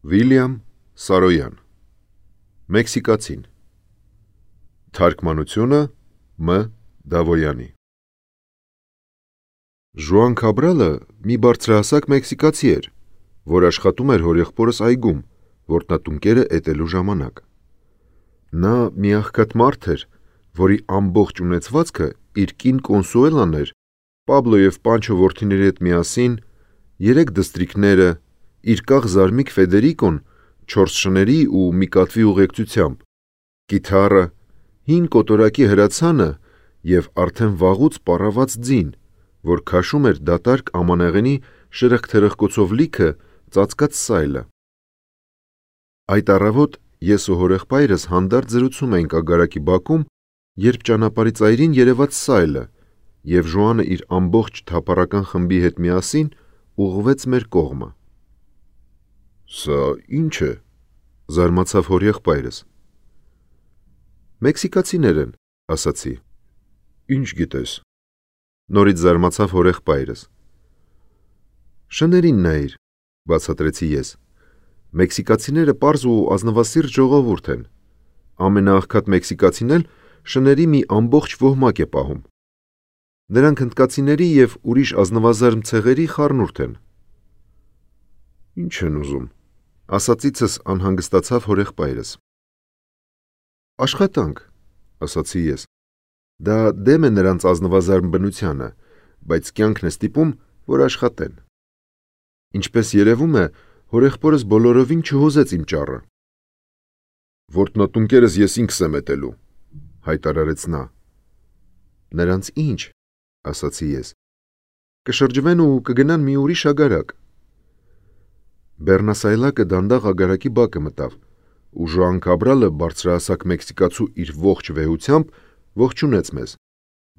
Վիլյամ Սարոյան Մեքսիկացին Թարգմանությունը Մ. Դավոյանի Ժուան Քաբրալը մի բարձրահասակ մեքսիկացի էր, որ աշխատում էր հորեղբորս այգում, որտնատունկերը էտելու ժամանակ։ Նա մի աղքատ մարդ էր, որի ամբողջ ունեցվածքը իր կին Կոնսուելան էր, Պաբլո և Պանչո որդիների հետ միասին, 3 դստրիկները, իր կաղ զարմիկ Ֆեդերիկոն 4 շների ու մի կատվի ուղեկցությամբ, կիթառը, 5 կոտորակի հրացանը և արդեն վաղուց պառաված ձին, որ քաշում էր դատարկ ամանեղենի շրխկթրխկոցով լիքը ծածկած սայլը։ Այդ առավոտ ես ու հորեղբայրս հանդարտ զրուցում էինք ագարակի բակում, երբ ճանապարհի ծայրին երևաց սայլը, և Ժուանը իր ամբողջ թափառական խմբի հետ միասին ուղղվեց մեր կողմը։ «Սա ի՞նչ է», զարմացավ հորեղբայրս։ «Մեքսիկացիներ են», ասացի։ «Ինչ գիտես», նորից զարմացավ հորեղբայրս։ «Շներին նայիր», բացատրեցի ես։ «Մեքսիկացիները պարզ ու ազնվասիրտ ժողովուրդ են։ Ամենաաղքատ մեքսիկացին էլ շների մի ամբողջ ոհմակ է պահում։ Նրանք հնդկացիների և ուրիշ ազնվազարմ ցեղերի խառնուրդ են»։ «Ինչ են ուզում», ասածիցս անհանգստացավ հորեղբայրս։ «Աշխատանք», ասացի ես։ Դա դեմ է նրանց ազնվազարմ բնությանը, բայց կյանքն է ստիպում, որ աշխատեն։ Ինչպես երևում է, հորեղբորս բոլորովին չհուզեց իմ ճառը։ «Որտնատունկերս ես ինքս եմ էտելու», հայտարարեց նա։ «Նրանց ինչ», ասացի ես։ «Կշրջվեն ու կգնան մի ուրիշ ագարակ»։ Բեռնասայլակը դանդաղ ագարակի բակը մտավ, ու Ժուան Քաբրալը բարձրահասակ մեքսիկացու իր ողջ վեհությամբ ողջունեց մեզ։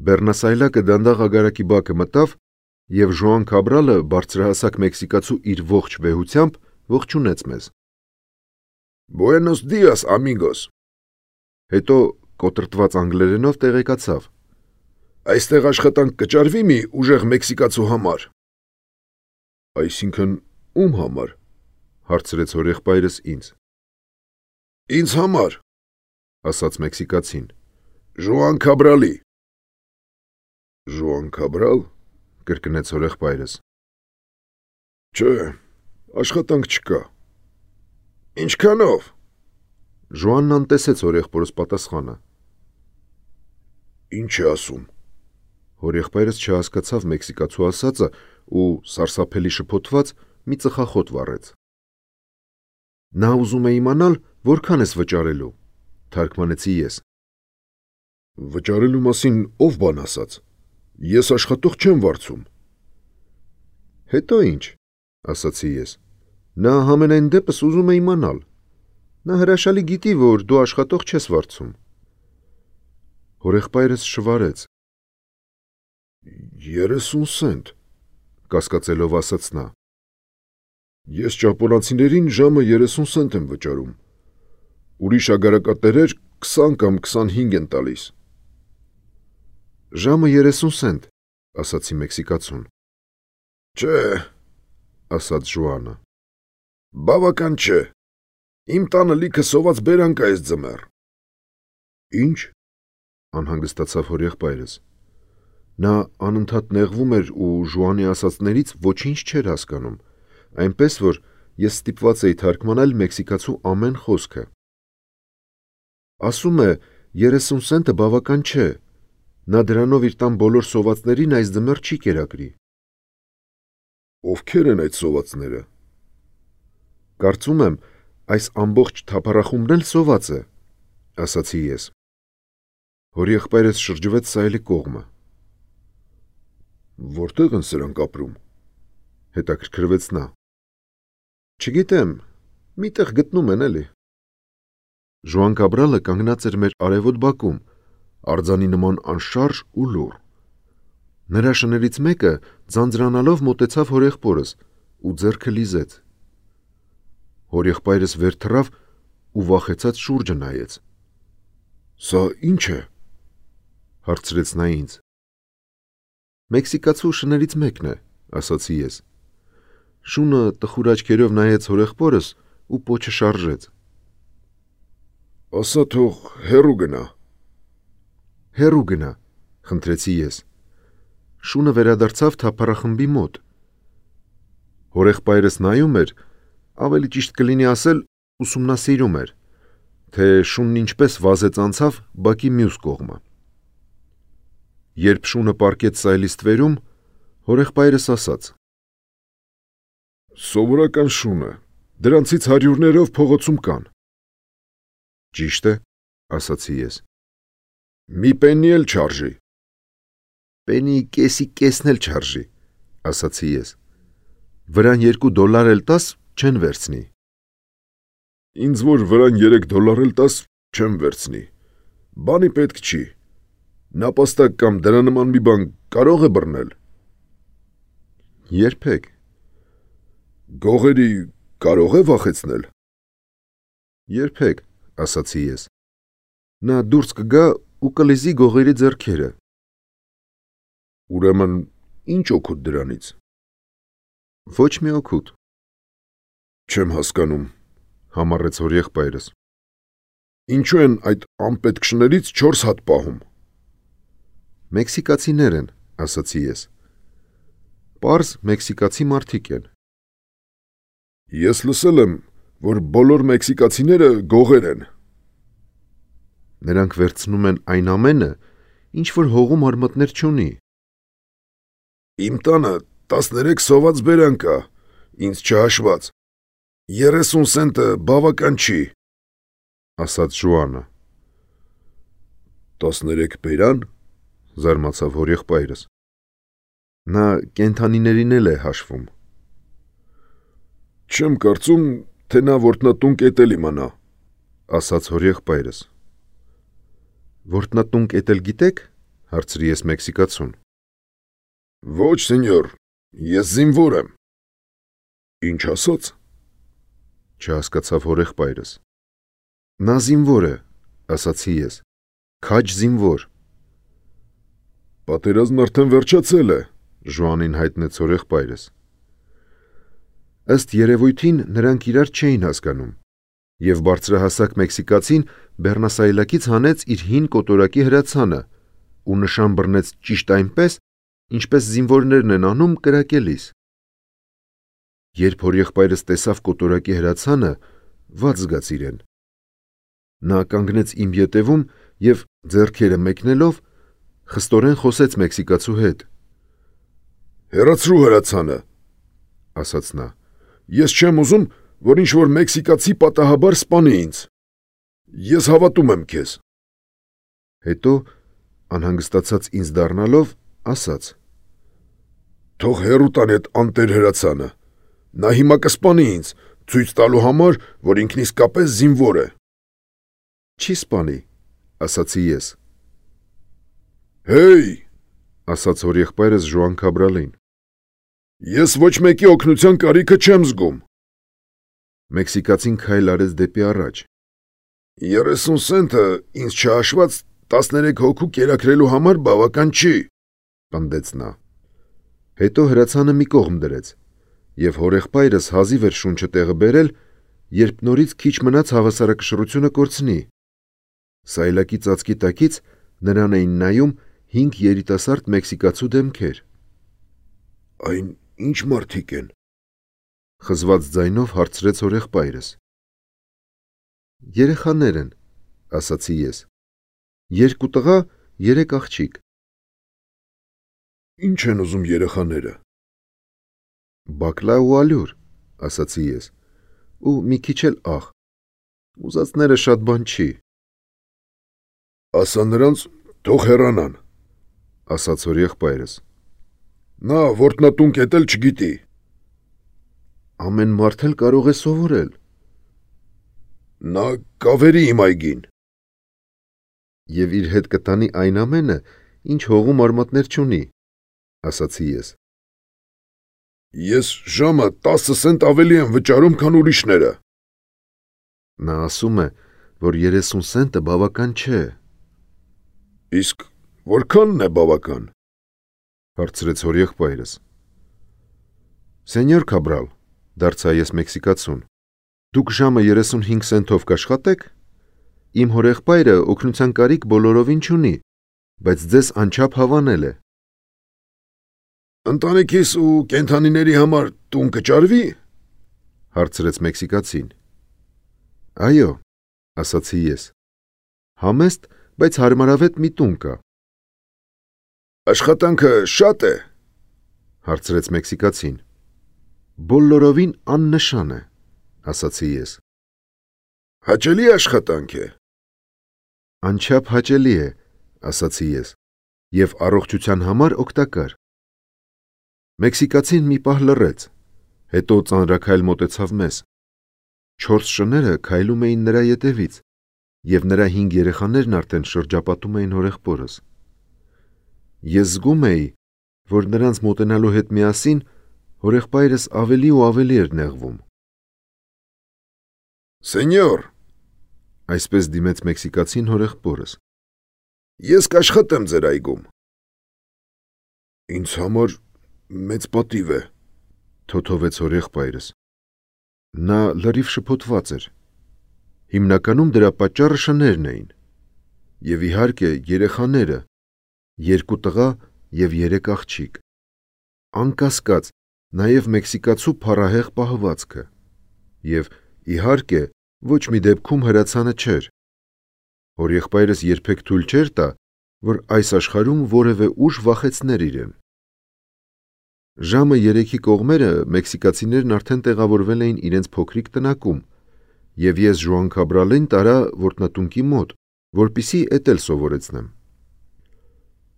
Բեռնասայլակը դանդաղ ագարակի բակը մտավ, և Ժուան Քաբրալը բարձրահասակ մեքսիկացու իր ողջ վեհությամբ ողջունեց մեզ։ «Բուենոս դիաս, ամիգոս», հետո կոտրտված անգլերենով տեղեկացավ. «Այստեղ աշխատանք կճարվի մի ուժեղ մեքսիկացու համար»։ «Այսինքն ում համար», հարցրեց հորեղբայրս ինձ։ «Ինձ համար», ասաց մեքսիկացին։ «Ժուան Քաբրալի»։ «Ժուան Քաբրալ», կրկնեց հորեղբայրս։ «Չէ, աշխատանք չկա»։ «Ինչքանով»։ Ժուանն անտեսեց հորեղբորս պատասխանը։ «Ինչ է ասում»։ Հորեղբայրս չհասկացավ մեքսիկացու ասածը ու սարսափելի շփոթված մի ծխախոտ վառեց։ «Նա ուզում է իմանալ, որքան ես վճարելու», թարգմանեցի ես։ «Վճարելու մասին ով բան ասաց։ Ես աշխատող չեմ վարձում»։ «Հետո ինչ», ասացի ես։ «Նա համենայն դեպս ուզում է իմանալ։ Նա հրաշալի գիտի, որ դու աշխատող չես վարձում»։ Հորեղբայրս շվարեց։ 30 սենտ, կասկածելով ասաց նա։ Ես ճապոնացիներին ժամը 30 սենտ եմ վճարում։ Ուրիշ ագարակատերեր 20 կամ 25 են տալիս։ Ժամը 30 սենտ, ասացի մեքսիկացուն։ Չէ, ասաց Ժուանը։ Բավական չէ։ Իմ տանը լիքը սոված բերանք է այս ձմեռ։ Ինչ, անհանգստացավ հորեղբայրս։ Նա անընդհատ նեղվում էր ու Ժուանի ասածներից ոչինչ չէր հասկանում, այնպես որ ես ստիպված էի թարգմանել մեքսիկացու ամեն խոսքը։ Ասում է 30 սենտը բավական չէ, նա դրանով իր տան բոլոր սովածներին այս ձմեռ չի կերակրի։ Ովքեր են այդ սովածները։ Կարծում եմ, այս ամբողջ թափառախումբն էլ սոված է, ասացի ես։ Հորեղբայրս շրջվեց սայլի կողմը։ Որտեղ են սրանք ապրում, հետաքրքրվեց նա։ Չգիտեմ, միտեղ գտնում են էլի։ Ժուան Քաբրալը կանգնած էր մեր արևոտ բակում, արձանի նման անշարժ ու լուռ։ Նրա շներից մեկը ձանձրանալով մոտեցավ հորեղբորս ու ձեռքը լիզեց։ Հորեղբայրս վեր թռավ ու վախեցած շուրջը նայեց։ Սա ի՞նչ է, հարցրեց նա ինձ։ Մեքսիկացու շներից մեկն է, ասացի ես։ Շունը տխուր աչքերով նայեց հորեղբորս ու պոչը շարժեց։ Ասա թող հեռու գնա։ Հեռու գնա, խնդրեցի ես։ Շունը վերադարձավ թափառախմբի մոտ։ Հորեղբայրս նայում էր, ավելի ճիշտ կլինի ասել, ուսումնասիրում էր, թե շունն ինչպես վազեց անցավ բակի մյուս կողմը։ Երբ շունը պառկեց սայլի ստվերում, հորեղբայրս ասաց. Սովորական շուն է, դրանցից հարյուրներով փողոցում կան։ Ճիշտ է, ասացի ես։ Մի պեննի էլ չարժի։ Պենի կեսի կեսն էլ չարժի, ասացի ես։ Վրան $2 էլ տաս չեն վերցնի։ Ինձ որ վրան $3 էլ տաս չեմ վերցնի։ Բանի պետք չի։ Նապաստակ կամ դրա նման մի բան կարող է բռնել։ Երբեք։ Գողերի կարող է վախեցնել։ Երբեք, ասացի ես։ Նա դուրս կգա ու կլիզի գողերի ձեռքերը։ Ուրեմն ինչ օգուտ դրանից։ Ոչ մի օգուտ։ Չեմ հասկանում, համառեց հորեղբայրս։ Ինչու են այդ անպետք շներից 4 հատ պահում։ Մեքսիկացիներ են, ասացի ես։ Պարզ մեքսիկացի մարդիկ են։ Ես լսել եմ, որ բոլոր մեքսիկացիները գողեր են։ Նրանք վերցնում են այն ամենը, ինչ որ հողում արմատներ չունի։ Իմ տանը 13 սոված բերան կա, ինձ չհաշված։ 30 սենտը բավական չի, ասաց Ժուանը։ 13 բերան, զարմացավ հորեղբայրս։ Նա կենդանիներին էլ է հաշվում։ Չեմ կարծում, թե նա որտնատուն կետել իմանա, ասաց հորեղբայրս։ Որտնատուն կետել գիտեք, հարցրի ես մեքսիկացուն։ Ոչ, սենյոր, ես զինվոր եմ։ Ինչ ասաց։ Չհասկացավ հորեղբայրս։ Նա զինվոր է, ասացի ես։ Քաջ զինվոր։ Պատերազմն արդեն վերջացել է, Ժուանին հայտնեց հորեղբայրս։ Ըստ երևույթին նրանք իրար չէին հասկանում, եւ բարձրահասակ մեքսիկացին բեռնասայլակից հանեց իր հին կոտորակի հրացանը ու նշան բռնեց ճիշտ այնպես, ինչպես զինվորներն են անում կրակելիս։ Երբ հորեղբայրս տեսավ կոտորակի հրացանը, վատ զգաց իրեն։ Նա կանգնեց իմ ետևում եւ ձեռքերը մեկնելով խստորեն խոսեց մեքսիկացու հետ։ Հեռացրու հրացանը, ասաց նա։ Ես չեմ ուզում, որ ինչ-որ մեքսիկացի պատահաբար սպանի ինձ։ Ես հավատում եմ քեզ։ Հետո, անհանգստացած ինձ դառնալով, ասաց. Թող հեռու տան այդ անտեր հրացանը։ Նա հիմա կսպանի ինձ, ցույց տալու համար, որ ինքն իսկապես զինվոր է։ Չի սպանի, ասացի ես։ Հեյ, ասաց հորեղբայրս Ժուան Քաբրալին։ Ես ոչ մեկի օգնության կարիքը չեմ զգում։ Մեքսիկացին քայլ արեց դեպի առաջ։ 30 սենտը ինձ չհաշված 13 հոգու կերակրելու համար բավական չի, պնդեց նա։ Հետո հրացանը մի կողմ դրեց, եւ հորեղբայրս հազիվ էր շունչը տեղը բերել, երբ նորից քիչ մնաց հավասարակշռությունը կորցնի։ Սայլակի ծածկի տակից նրան էին նայում 5 երիտասարդ մեքսիկացու դեմքեր։ Այն ինչ մարդիկ են, խզված ձայնով հարցրեց հորեղբայրս։ Երեխաներ են, ասացի ես։ 2 տղա, 3 աղջիկ։ Ինչ են ուզում երեխաները։ Բակլա ու ալյուր, ասացի ես։ Ու մի քիչ էլ աղ։ Ուզածները շատ բան չի։ Ասա նրանց թող հեռանան, ասաց հորեղբայրս։ Նա որտնատուն կետել չգիտի։ Ամեն մարդ էլ կարող է սովորել։ Նա կավերի իմ այգին։ Եվ իր հետ կտանի այն ամենը, ինչ հողում արմատներ չունի, ասացի ես։ Ես ժամը 10 սենտ ավելի եմ վճարում, քան ուրիշները։ Նա ասում է, որ 30 սենտը բավական չէ։ Իսկ որքանն է բավական։ Հարցրեց հորեղբայրս։ Սենյոր Քաբրալ, դարձա ես մեքսիկացուն, Դուք ժամը 35 սենթով կաշխատեք։ Իմ հորեղբայրը օգնության կարիք բոլորովին չունի, բայց ձեզ անչափ հավանել է։ Ընտանիքիս ու կենդանիների համար տուն կճարվի, հարցրեց մեքսիկացին։ Այո, ասացի ես։ Համեստ, բայց հարմարավետ մի տուն կա։ Աշխատանքը շատ է, հարցրեց մեքսիկացին։ Բոլորովին աննշան է, ասացի ես։ Հաճելի աշխատանք է։ Անչափ հաճելի է, ասացի ես, եւ առողջության համար օգտակար։ Մեքսիկացին մի պահ լռեց, հետո ծանրաքայլ մոտեցավ մեզ։ 4 շները քայլում էին նրա ետևից, եւ նրա 5 երեխաներն արդեն շրջապատում էին հորեղբորս։ Ես զգում էի, որ նրանց մոտենալու հետ միասին հորեղբայրս ավելի ու ավելի էր նեղվում։ Սենյոր, Այսպես դիմեց մեքսիկացին հորեղբորս։ ես կաշխատեմ ձեր այգում։ Ինձ համար մեծ պատիվ է, թոթովեց հորեղբայրս։ Նա լրիվ շփոթված էր։ Հիմնականում դրա պատճառը շներն էին։ Եվ իհարկե երեխաները, 2 տղա եւ 3 աղջիկ։ Անկասկած, նաեւ մեքսիկացու փառահեղ պահվածքը։ Եվ իհարկե ոչ մի դեպքում հրացանը չէր։ Հորեղբայրս երբեք թույլ չէր տա, որ այս աշխարհում որևէ ուժ վախեցներ իրեն։ Ժամը 3-ի կողմերը մեքսիկացիներն արդեն տեղավորվել էին իրենց փոքրիկ տնակում, եւ ես Ժուան Քաբրալին տարա որտնատունքի մոտ, որպիսի էտել սովորեցնեմ։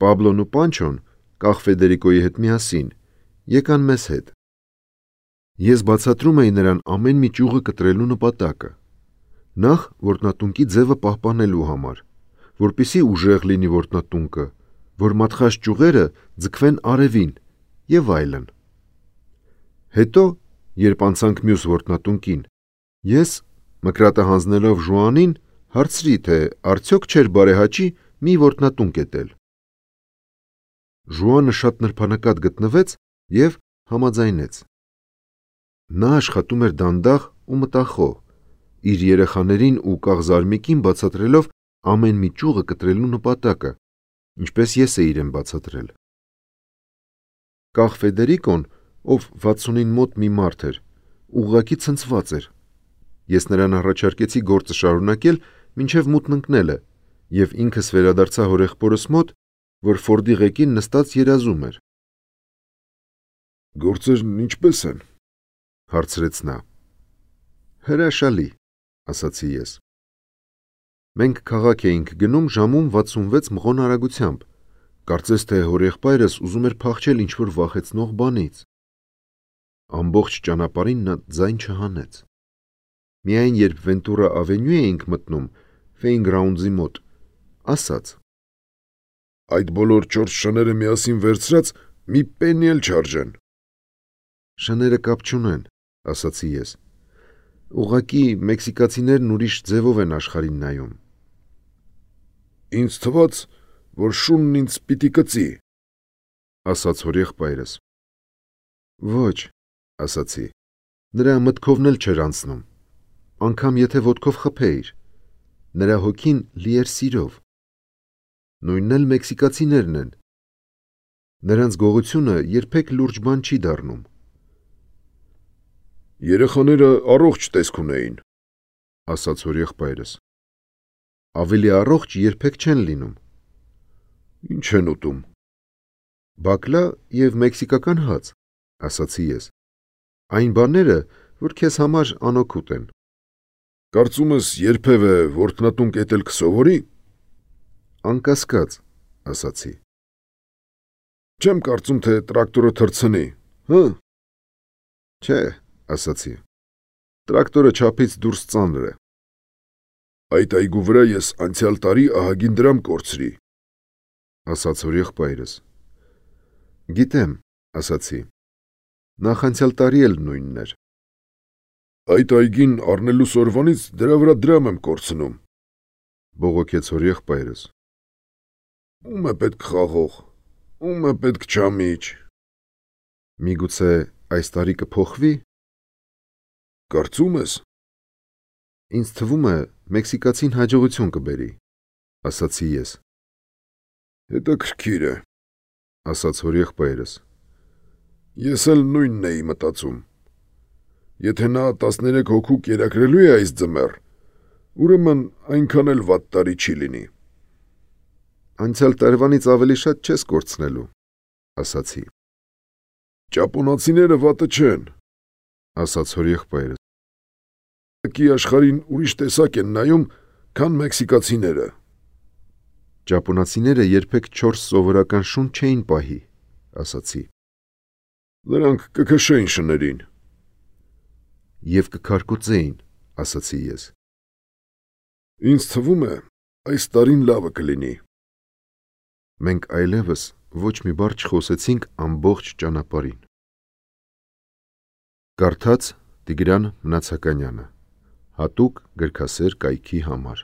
Պաբլոն ու Պանչոն, կախ Ֆեդերիկոյի հետ միասին, եկան մեզ հետ։ Ես բացատրում էի նրան ամեն մի ճյուղը կտրելու նպատակը։ Նախ որտնատունքի ձևը պահպանելու համար, որպիսի ուժեղ լինի որտնատունքը, որ մատխած ճյուղերը ձգվեն արևին եւ այլն։ Հետո, երբ անցանք մյուս որտնատունքին, ես, մկրատը հանձնելով Ժուանին, հարցրի, թե արդյոք չէր բարեհաճի մի որտնատունք էտել։ Ժուանը շատ նրբանկատ գտնվեց եւ համաձայնեց։ Նա աշխատում էր դանդաղ ու մտախոհ, իր երեխաներին ու կաղզարմիկին բացատրելով ամեն մի ճյուղը կտրելու նպատակը, ինչպես ես էի իրեն բացատրել։ Կախ Ֆեդերիկոն, ով 60-ին մոտ մի մարդ էր, ուղղակի ցնցված էր։ Ես նրան առաջարկեցի գործը շարունակել մինչև մութն ընկնելը, եւ ինքս վերադարձա հորեղբորս մոտ, որ Ֆորդի ղեկին նստած երազում էր։ Գործերն ինչպես են, հարցրեց նա։ Հրաշալի, ասացի ես։ Մենք քաղաք էինք գնում ժամում 66 մղոն արագությամբ, կարծես թե հորեղբայրս ուզում էր փախչել ինչ-որ վախեցնող բանից։ Ամբողջ ճանապարհին նա ձայն չհանեց։ Միայն երբ Վենտուրա ավենյու էինք մտնում, Ֆեյնգրաունդզի մոտ, ասաց. այդ բոլոր 4 շները միասին վերցրած մի պենի էլ չարժեն։ Շները կապ չունեն, ասացի ես։ Ուղղակի մեքսիկացիներն ուրիշ ձևով են աշխարհին նայում։ Ինձ թվաց, որ շունն ինձ պիտի կծի, ասաց հորեղբայրս։ Ոչ, ասացի, նրա մտքովն էլ չէր անցնում, անգամ եթե ոտքով խփեիր, նրա հոգին լի էր սիրով։ Նույնն էլ մեքսիկացիներն են։ Նրանց գողությունը երբեք լուրջ բան չի դառնում։ Երեխաները առողջ տեսք ունեին, ասաց հորեղբայրս։ Ավելի առողջ երբեք չեն լինում։ Ինչ են ուտում։ Բակլա եւ մեքսիկական հաց, ասացի ես։ Այն բաները, որ քեզ համար անօգուտ են։ Կարծում ես երբևէ որտնատունք էտել կսովորի։ Անկասկած, ասացի։ Չեմ կարծում, թե տրակտորը թռցնի, հը։ Չէ, ասացի։ Տրակտորը չափից դուրս ծանր է։ Այդ այգու վրա ես անցյալ տարի ահագին դրամ կորցրի, ասաց հորեղբայրս։ Գիտեմ, ասացի։ Նախանցյալ տարի էլ նույնն էր։ Այդ այգին առնելուս օրվանից դրա վրա դրամ եմ կորցնում, բողոքեց հորեղբայրս։ Ում է պետք խաղող, ում է պետք չամիչ։ Միգուցե այս տարի կփոխվի։ Կարծում ես։ Ինձ թվում է, մեքսիկացին հաջողություն կբերի, ասացի ես։ Հետաքրքիր է, ասաց հորեղբայրս։ ես էլ նույնն էի մտածում։ Եթե նա 13 հոգու կերակրելու է այս ձմեռ, ուրեմն այնքան էլ վատ տարի չի լինի։ Անցյալ տարվանից ավելի շատ չես կորցնելու, ասացի։ Ճապոնացիները վատը չեն, ասաց հորեղբայրս։ Աշխարհին ուրիշ տեսակ են նայում, քան մեքսիկացիները։ Ճապոնացիները երբեք 4 սովորական շուն չէին պահի, ասացի։ Նրանք կքշեին շներին։ Եվ կքարկոծեին, ասացի ես։ Ինձ թվում է, այս տարին լավը կլինի։ Մենք այլևս ոչ մի բառ չխոսեցինք ամբողջ ճանապարհին։ Կարդաց Տիգրան Մնացականյանը, հատուկ գրքասեր կայքի համար։